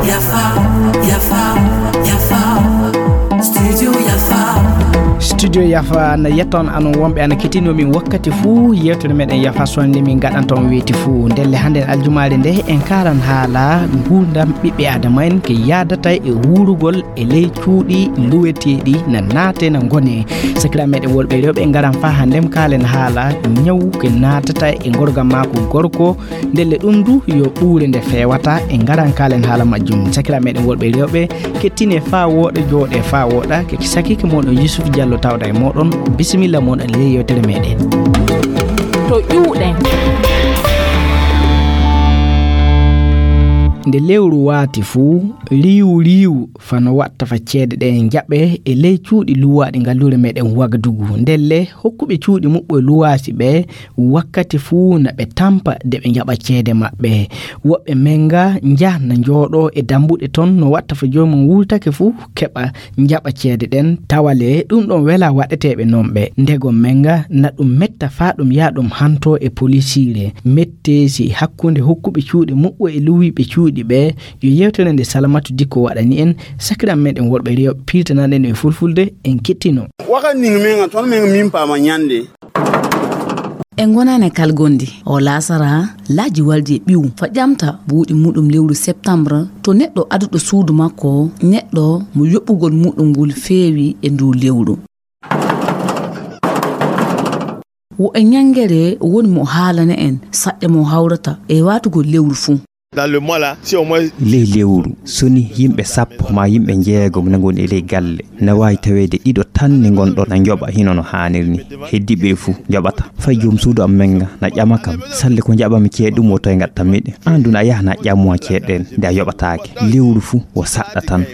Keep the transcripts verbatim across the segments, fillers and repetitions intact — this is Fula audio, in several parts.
Yafa, yafa, yafa. Studio yafa. Studio yafa na yetton anon wonɓe ana ketinomin wakkati fuu yewtere meɗen yafa sonde min gaɗanta on weeti fuu. Ndelle hannde aljumaare nde en karan haala nguurndam ɓiɓɓe adama en ke yaadata e wuurugol e ley cuuɗi luweteeɗi na naate na ngone. Sakira meɗen worɓe rewɓe en ngaran faa hannde kaalen haala ñawu ke naatata e ngorgam maako gorko. Ndelle ɗum du yo ɓuure nde feewata e ngaran kaalen haala majjum. Sakira meɗen worɓe rewɓe kettine faa wooɗa jooɗe faa wooɗa ke sakike mon o Yusuf Diallo tawda e moɗon. Bisimilla mon e ley yewtere meɗen. To ƴuuɗen. Nde lewru waati fuu, riiwu riiwu fano watta fa ceede ɗe en jaɓe e ley cuuɗi luwaaɗi ngalluure meɗen Wagadugu. Ndelle hokkuɓe cuuɗi muɓɓo e luwaasi ɓe wakkati fuu na ɓe tampa de ɓe njaɓa ceede maɓɓe. Woɓɓe menga nja na njooɗo e dambuɗe ton no watta fa joomum wultake fuu keɓa njaɓa ceede ɗen tawale ɗum ɗon wela waɗeteeɓe non ɓe. Ndegom menga na ɗum metta faa ɗum yaa ɗum hanto e polisiire. Metteesi hakkunde hokkuɓe cuuɗi muɓɓo e luwiiɓe cuuɗi ɓe yo yewtere nde Salamatu Dikko waɗani en. Sakiram meɗen worɓe rewɓe pirtanaɗen e fulfulde en kettino. Waka ning menga ton menga min pama nyande. E ngonani e kalgondi o laasara laaji waldi e ɓiw fa ƴamta buuɗi muɗum lewru septembre to neɗɗo aduɗo suudu makko neɗɗo mo yoɓɓugol muɗum ngol feewi e ndu lewru. Wo e ñangere woni mo haalana en saɗɗe mo hawrata e waatugol lewru fuu. Dans le mois là, si au moins ley lewru soni yimɓe sappo ma yimɓe njeegom na ngoni e ley galle na waawi taweede ɗiɗo tan ni ngonɗo na njoɓa hino no haaniri ni. Heddiɓe fuu njoɓata fay joom suudu am menga na ƴama kam salle ko njaɓami ceeɗe ɗum o toye ngaɗtanmi ɗe. An dun a yaha na ƴammo ceeɗe ɗen nde a yoɓataake. Lewru fuu wo saɗɗa tan.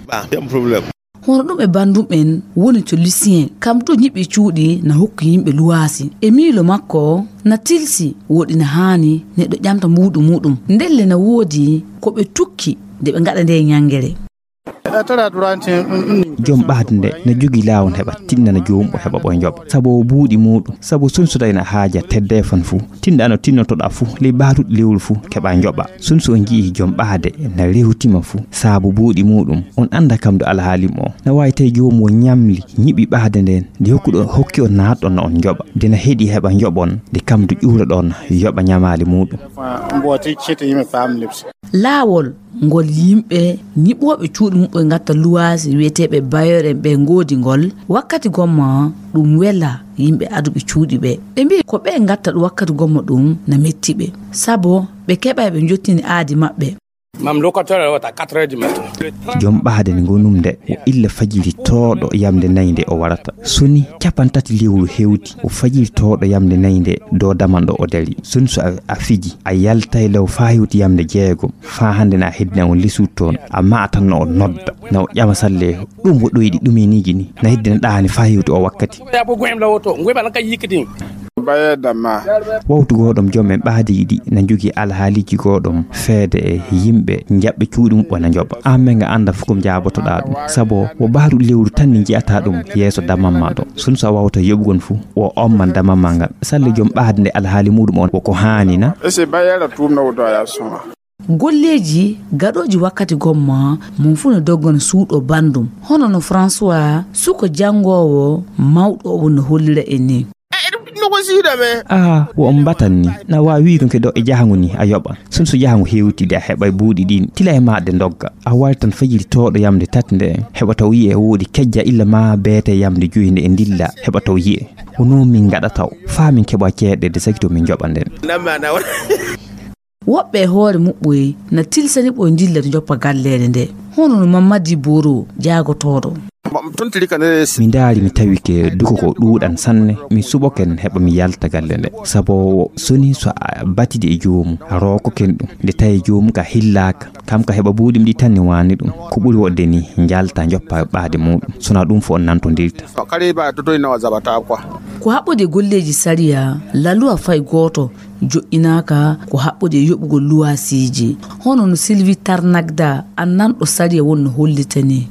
Hono ɗum e banndum en woni to Lucien kam to ñiɓi cuuɗi na hokki yimɓe luwaasi e miilo makko na tilsi woɗi na haani neɗɗo ƴamta mbuuɗu muɗum. Ndelle na woodi ko ɓe tukki nde ɓe ngaɗa nde ñangere. Joom ɓaade nde na jogi laawol heɓa tinnana joomum o heɓa ɓoy njoɓa sabu o buuɗi muɗum sabu sunsuda ina haaja tedde fan fuu. Tinɗa no tinnotoɗa fuu ley baatuɗi lewru fuu keɓa njoɓa. Sunsu on ji'i joom ɓaade na rewtima fuu saabu buuɗi muɗum on annda kam do alhaali mo na waawi tawi joomum o ñamli ñiɓi ɓaade nden nde hokkuɗo hokki on naatɗon na on njoɓa nde na heɗi heɓa njoɓon nde kam do ƴuuroɗon yoɓa ñamaali muɗum. Mbooti cete yimɓe paam lebsi. Laawol ngol yimɓe ñiɓooɓe cuuɗi muɓɓe ngatta luwaasi wiyeteeɓe bayeer en ɓe ngoodi ngol wakkati gomma ɗum wela yimɓe aduɓe cuuɗi ɓe ɓe mbiyi ko ɓe ngatta ɗum wakkati gomma ɗum na metti ɓe sabu ɓe keɓay ɓe jottini aadi maɓɓe. Mam locataire wata quatre heures du matin. Joom ɓaade nde ngonum nde o illa fajiri tooɗo yamde nayi nde o warata soni capantati lewru hewti o fajiri tooɗo yamde nayi nde do damanɗo o dari soni so a fiji a yaltay law faa hewti yamde jeegom faa hannde na heddina on lesuudu toon a maatan no o nodda na o ƴama salle ɗum wo ɗoyɗi ɗum e niji ni na heddina ɗaani faa hewti o wakkati. Wawtu goɗom joom en ɓaadiiɗi na jogii alhaaliiji goɗom feede e yimɓe jaɓɓe cuuɗi muɓɓo na njoɓa an men nga annda fof ko jaabotoɗaa ɗum sabu wo baaru lewru tan ni njiyata ɗum yeeso damamma ɗo sun so a wawta yoɓugol fof o omman damamma ngal salle joom ɓaade nde alhaali muɗum on woko haani na. Ese bayera tumna wuto ya suma. Golleeji gaɗooji wakkati gomma mum fuu no doggana suuɗo banndum hono no François suko janngoowo mawɗo o woni no hollira en ni. Aa wo on mbatan ni na waawi wiigo ke ɗo e jahango ni a yoɓan sun so jahango hewtide a heɓa e buuɗi ɗin tila e maɗde ndogga a wari tan fajiri tooɗo yamde tati nde heɓa taw yi'e woodi kejja illa ma beete yamde joyi nde e ndilla heɓa taw yi'e. Wono min ngaɗa taw faa min keɓa ceeɗe de saki to min joɓa nden. Woɓɓe e hoore muɓɓoy na tilsani ɓoy ndilla to joppa galleede nde hono no mammadi boro jaagotooɗo. Mi ndaari mi tawi ke duko ko ɗuuɗan sanne mi suɓoken heɓa mi yalta galle nde sabu soni so a batidi e joomum a rookoken ɗum nde tawi joomum ka hillaaka kam ka heɓa buuɗim ɗi tan ni waani ɗum ko ɓuri woɗde ni njalta joppa ɓaade muɗum sona ɗum fo on nantondirta. Ko haɓɓude golleeji sariya laluwa fay gooto joƴƴinaaka ko haɓɓude e yoɓugol luwaasiiji hono no Sylvie Tarnagda annanɗo sariya won no hollitani.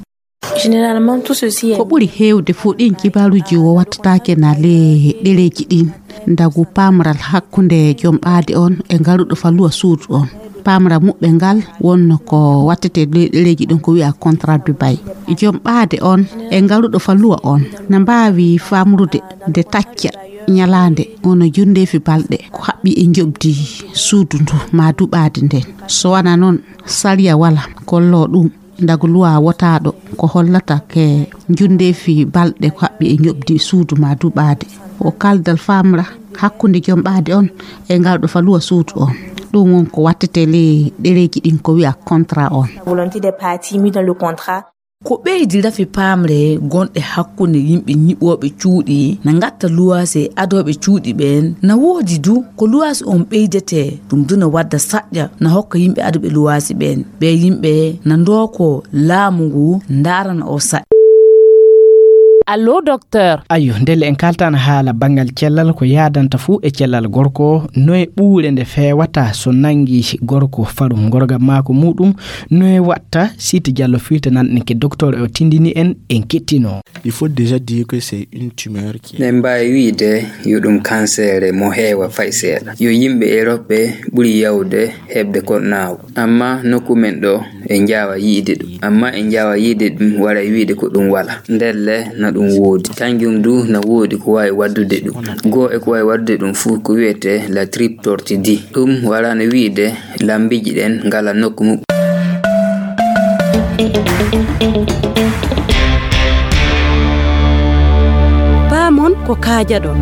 Ko ɓuri heewde fof ɗin kibaaruuji o wattataake na le ɗereeji ɗin. Ndagu paamral hakkunde joom ɓaade on e ngaruɗo faluwa suudu on. Paamral muɓɓe ngal wonno ko wattete ɗereeji ɗin ko wi'a contrat du bail. Joom ɓaade on e ngaruɗo faluwa on na mbaawi faamrude nde tacca ñalaande wano njundeefi balɗe ko haɓɓi e njoɓdi suudu ndu maa duɓaade nden. So wanaa non, sariya wala kollo ɗum. Ndagu luwa wotaaɗo ko hollata ke njundeefi balɗe ko haɓɓi e njoɓdi suudu maa duɓaade. O kaldal faamra hakkunde joom ɓaade on e ngal ɗo faluwa suudu on. Ɗum won ko wattete ley ɗereeji ɗin ko wi'a contrat on. Volonté des parties mis dans le contrat. Ko ɓeydi rafi paamre gonɗe hakkunde yimɓe ñiɓooɓe cuuɗi na ngatta luwaasi e adooɓe cuuɗi ɓeen. Na woodi du ko luwaasi on ɓeydetee, ɗum du na wadda saƴƴa na hokka yimɓe adooɓe luwaasi ɓeen. Ɓee yimɓe na ndooko laamu ngu ndaarana o saƴƴa. Allo, docteur. Ayyo, ndelle en kaltaano haala banngal cellal, ko yaadanta fuu e cellal gorko, no e ɓuure nde feewata so nanngi gorko farum ngorga maako muuɗum, no e watta Siti Jallo filtanan en ke docteur o tindini en, en kettino. Il faut déjà dire que c'est une tumeur qui est... Eɗen mbaawi wi'de yo ɗum kanseere mo heewa fay seeɗa. Yo yimɓe Erop ɓe ɓuri yawde heɓde ko naaw. Amma nokku men ɗo, en njaawa yi'de ɗum. Amma en njaawa yi'de ɗum, waray wi'de ko ɗum wala. Ndelle na ɗum woodi. Kanjum du na woodi ko waawi waddude ɗum. Goo e ko waawi waddude ɗum fuu ko wi'etee la triple tortue. Ɗum wala no wi'de lambiiji ɗen ngala nokku mum. Paamon ko kaajaɗon.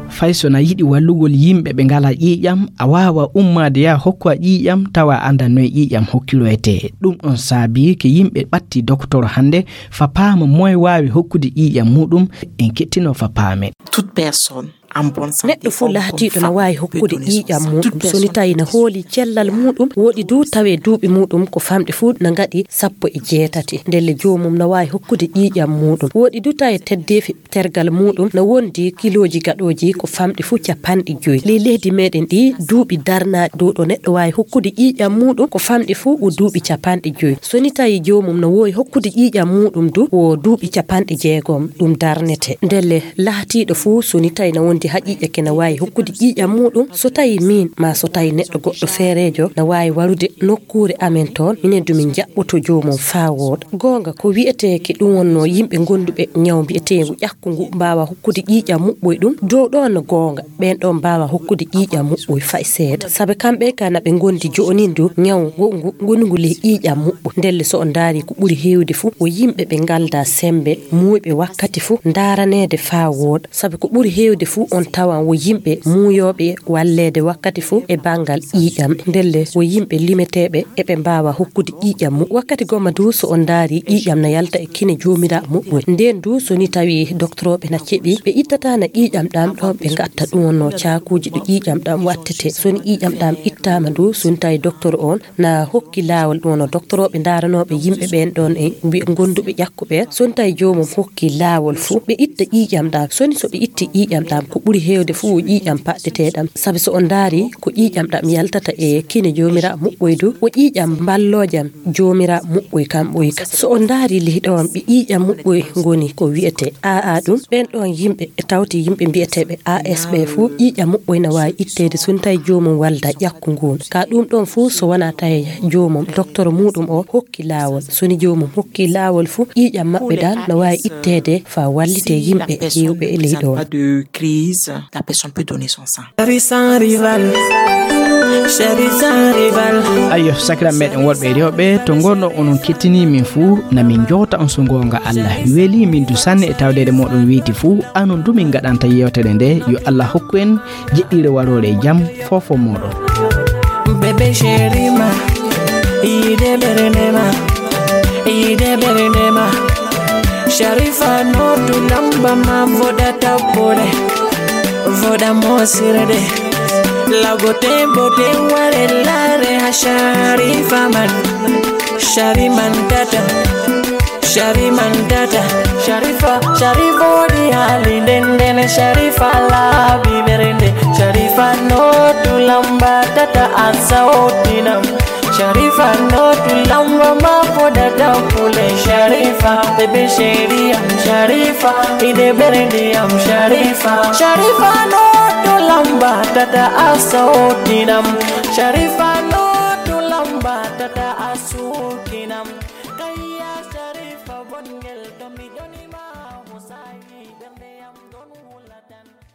Fay so na yiɗi wallugol yimɓe ɓe ngalaa ƴiiƴam, a waawa ummaade yaa hokku a ƴiiƴam tawa a anndaa noy ƴiiƴam hokkiroytee. Ɗum ɗon saabii ke yimɓe ɓatti doktor hannde fa paama moy waawi hokkude ƴiiƴam muuɗum, en kettino fa paame. Toute personne en bonne santé. Neɗɗo fuu laatiiɗo na waawi hokkude ƴiiƴam muuɗum so ni tawi na hooli cellal muuɗum, woodi du tawe duuɓi muuɗum ko famɗi fuu na ngaɗi sappo e jeetati. Ndelle joomum na waawi hokkude ƴiiƴam muuɗum. Woodi du tawe teddeefi tergal muuɗum na wondi kilooji gaɗooji ko famɗi fuu capanɗe joyi. Ley leydi meɗen ɗi, duuɓi darnaaɗi dow ɗo neɗɗo waawi hokkude ƴiiƴam muuɗum ko famɗi fuu wo duuɓi capanɗe joyi. So ni tawi joomum na woowi hokkude ƴiiƴam muuɗum du, wo duuɓi capanɗe jeegom ɗum darnete. Ndelle laatiiɗo fuu so ni tawi na wondi haqiiqe ke na waawi hokkude ƴiiƴam muuɗum, so tawi miin maa so tawi neɗɗo goɗɗo feereejo na waawi warude nokkuure amen toon, minen du min njaɓɓoto joomum faa wooɗa. Goonga, ko wi'etee ke ɗum wonno yimɓe gonduɓe ñaw mbi'eteengu ƴakku ngu mbaawa hokkude ƴiiƴam muɓɓoy ɗum, dow ɗoon no goonga, ɓeen ɗoon mbaawa hokkude ƴiiƴam muɓɓoy fay seeɗa. Sabe kamɓe ka na ɓe ngondi jo'onin du ñaw ngo, ngu, ngonungu ley ƴiiƴam muɓɓoy. Ndelle so on ndaari ko ɓuri heewde fuu, wo yimɓe ɓe ngaldaa semmbe, muuyɓe wakkati fuu, ndaaraneede faa wooɗa. Sabe ko ɓuri heewde fuu on tawan wo yimɓe muuyooɓe walleede wakkati fuu e banngal ƴiiƴam. Ndelle wo yimɓe limeteeɓe eɓe mbaawa hokkude ƴiiƴam mum. Wakkati gomma du so on ndaari ƴiiƴam na yalta e kine joomiraa muɓɓoy. Ndeen du so ni tawi doktorooɓe na ceɓi, ɓe ittataana ƴiiƴam ɗam ɗoon ɓe ngatta ɗum wonno caakuuji ɗo ƴiiƴam ɗam wattete. So ni ƴiiƴam ɗam ittaama du, so ni tawi doktor on na hokki laawol ɗum wonno doktorooɓe ndaaranooɓe yimɓe ɓeen ɗoon e mbi-, gonduɓe ƴakku ɓeen. So ni tawi joomum hokki laawol fuu, ɓe itta ƴiiƴam ɗam. So ni so ɓe itti ƴiiƴam ɗam, ko ɓuri heewde fuu wo ƴiiƴam paɗɗeteeɗam. Sabi so on ndaari ko ƴiiƴam ɗam yaltata e kine joomiraa muɓɓoy du, wo ƴiiƴam mballoojam joomiraa muɓɓoy kam ɓoy ka. So on ndaari ley ɗoon ɓe ƴiiƴam muɓɓoy ngoni ko wi'etee A A ɗum, ɓeen ɗoon yimɓe e tawti yimɓe mbi'eteeɓe A S ɓe fuu ƴiiƴam muɓɓoy na waawi itteede so ni tawi joomum walda ƴakku ngun. Ka ɗum ɗoon fuu so wanaa tawi joomum, doktor muuɗum o hokki laawol. So ni joomum hokki laawol fuu, ƴiiƴam maɓɓe ɗam na waawi itteede faa wallitee yimɓe heewɓe e ley ɗoon. Pas de crise, la personne peut donner son sang. Chéri sans rival. Chéri sans rival. Ayyo, sakiraaɓe meɗen worɓe e rewɓe, to ngonɗon onon kettinii min fuu, na min njowta on so ngoonga Allah weli. Min du sanne e tawdeede mooɗon weeti fuu, anon du min ngaɗanta yeewtere nde. Yo Allah hokku en jeɗɗiire waroore e jam, foofo mooɗon. Bébé chéri ma, yiide ɓernde ma, yiide ɓernde ma. Sharifa no tu lamba ma voda tapole, voda mosirde. Lago tembo te ware lare ha Sharifa man, Shari man tata. Shari man tata, Sharifa, Sharifa wodi hali ndenden, Sharifa laabi ɓernde, Sharifa no tu lamba tata a sawtinam. Sharifa no tu lamba ma foda tapule, Sharifa, bébé chéri am, Sharifa, yiide ɓernde am, Sharifa, Sharifa no tu Lamba tata a sawtinam. Sharifa no to lamba tata a sukinam. Kayya Sharifa bongel to mi doni ma.